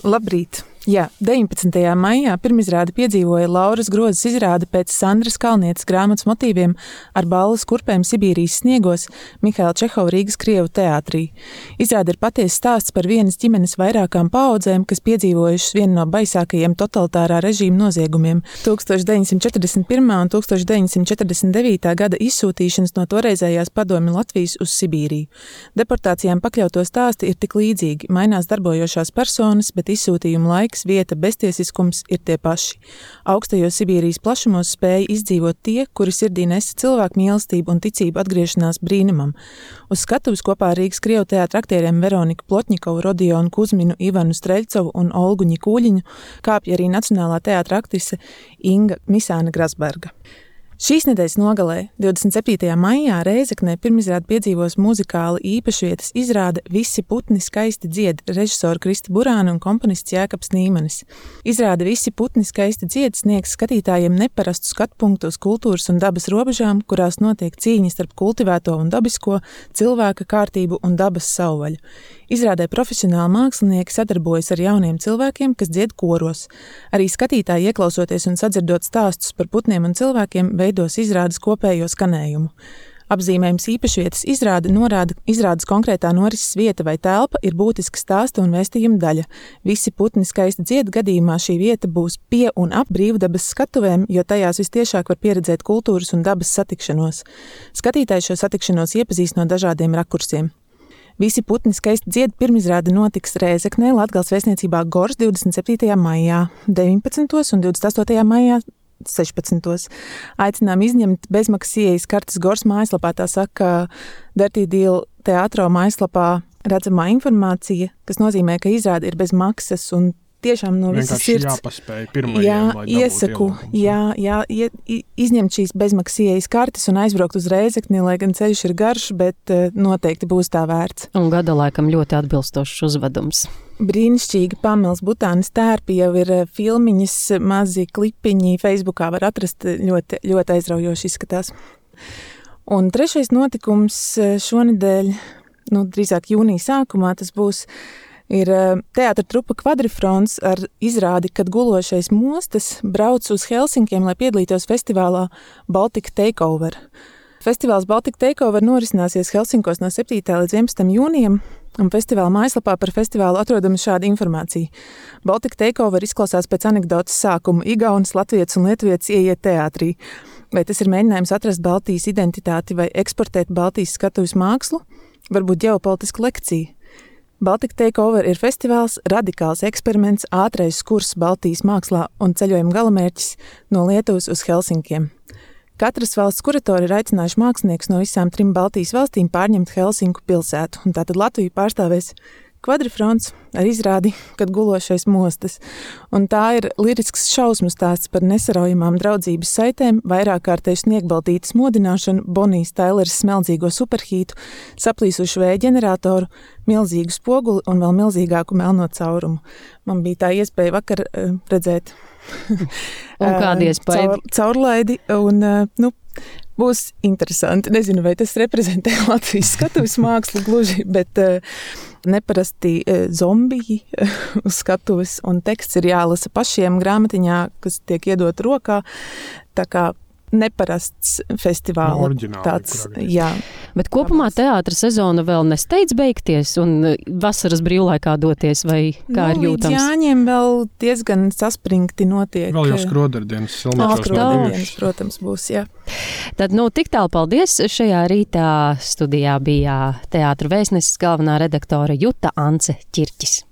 Labrīt! Jā, 19. maijā pirmizrādi piedzīvoja Lauras Grozas izrāde pēc Sandras Kalnietes grāmatas motīviem ar balles kurpēm Sibīrijas sniegos Mihaila Čehova Rīgas Krievu teātrī. Izrāde ir patiesa stāsts par vienas ģimenes vairākām paaudzēm, kas piedzīvojušas vienu no baisākajiem totalitārā režīma noziegumiem - 1941. un 1949. gada izsūtīšanas no toreizējās padomju Latvijas uz Sibīriju. Deportācijām pakļauto stāsti ir tik līdzīgi, mainās darbojošās personas, bet izsūtījuma laiks, vieta, beztiesiskums ir tie paši. Augstajos Sibīrijas plašumos spēja izdzīvot tie, kuri sirdī nesa cilvēku mīlestību un ticību atgriešanās brīnumam. Uz skatuves kopā ar Rīgas Krievu teātra aktieriem Veroniku Plotņikovu, Rodionu Kuzminu, Ivanu Streļcovu un Olgu Ņikūļiņu kāpja arī Nacionālā teātra aktrise Inga Misāne Grasberga. Šīs nedēļas nogalē, 27. maijā, Rēzeknē pirmizrādi piedzīvos muzikāli īpašvietas izrāde Visi putni skaisti dzied, režisora Krista Burāna un komponists Jēkabs Nīmanis. Izrāde Visi putni skaisti dzied sniegs skatītājiem neparastu skatpunktu uz kultūras un dabas robežām, kurās notiek cīņas starp kultivēto un dabisko, cilvēka kārtību un dabas savvaļu. Izrādē profesionāli mākslinieki sadarbojas ar jauniem cilvēkiem, kas dzied koros. Arī skatītāji, ieklausoties un sadzirdot stāstus par putniem un cilvēkiem, veidos izrādes kopējo skanējumu. Apzīmējums īpašvietas izrāde norāda, izrādes konkrētā norises vieta vai telpa ir būtiska stāsta un vēstījuma daļa. Visi putni skaisti dzied gadījumā šī vieta būs pie un ap brīvdabas skatuvēm, jo tajās vistiešāk var pieredzēt kultūras un dabas satikšanos. Skatītāji šo satikšanos iepazīst no dažādiem rakursiem. Visi putni skaisti dzied pirmizrāde notiks Rēzeknē, Latgales vēstniecībā Gors 27. maijā, 19. un 28. maijā 16. Aicinām izņemt bezmaksas ieejas kartes Gors mājaslapā, tā saka Dirty Deal teātro mājaslapā redzamā informācija, kas nozīmē, ka izrāde ir bez maksas un tiešām no visas sirds. Vienkārši jāpaspēj pirmajiem, lai iesaku, izņemt šīs bezmaksas ieejas kartes un aizbraukt uz Rēzekni, lai gan ceļš ir garš, bet noteikti būs tā vērts. Un gada laikam ļoti atbilstošs uzvedums. Brīnišķīgi Pamels Butānis tērpi, jau ir filmiņas, mazi klipiņi, Facebookā var atrast, ļoti, ļoti aizraujoši izskatās. Un trešais notikums šonedēļ, drīzāk jūnija sākumā, tas būs ir teātra trupa Kvadrifrons ar izrādi, kad gulošais mostas brauc uz Helsinkiem, lai piedalītos festivālā Baltic Takeover. Festivāls Baltic Takeover norisināsies Helsinkos no 7. līdz 11. jūnijam, un festivāla mājaslapā par festivālu atrodama šāda informācija. Baltic Takeover izklausās pēc anekdotas sākuma. Igaunis, latvietis un lietuvietis ieiet teātrī. Vai tas ir mēģinājums atrast Baltijas identitāti vai eksportēt Baltijas skatuves mākslu? Varbūt ģeopolitiska lekcija. Baltic Takeover ir festivāls, radikāls eksperiments, ātrais kurs Baltijas mākslā un ceļojuma galamērķis no Lietuvas uz Helsinkiem. Katras valsts kuratori ir aicinājuši māksliniekus no visām 3 Baltijas valstīm pārņemt Helsinku pilsētu, un tātad Latviju pārstāvēs Kvadrifrons ar izrādi, kad gulošais mostas. Un tā ir lirisks šausmu stāsts par nesaraujamām draudzības saitēm, vairākkārtēju sniegbaltītes modināšanu, Bonijas Taileres smeldzīgo superhītu, saplīsušu vēja ģeneratoru, milzīgu spoguli un vēl milzīgāku melno caurumu. Man bija tā iespēja vakar redzēt un kādi iespēja? Caurlaidi un, būs interesanti. Nezinu, vai tas reprezentē Latvijas skatuves mākslu gluži, bet neparasti zombiji uz skatuves un teksts ir jālasa pašiem grāmatiņā, kas tiek iedot rokā. Tā kā neparasts festivāla. Tāds, jā. Bet kopumā teātra sezona vēl nesteidz beigties un vasaras brīvlaikā doties, vai kā ir jūtams? Līdz Jāņiem vēl diezgan saspringti notiek. Vēl jau skrodardienas silmečos skrodardienas, protams, būs, jā. Tad, tik tālu paldies. Šajā rītā studijā bija teātra vēstneses galvenā redaktore Juta Ance Ķirķis.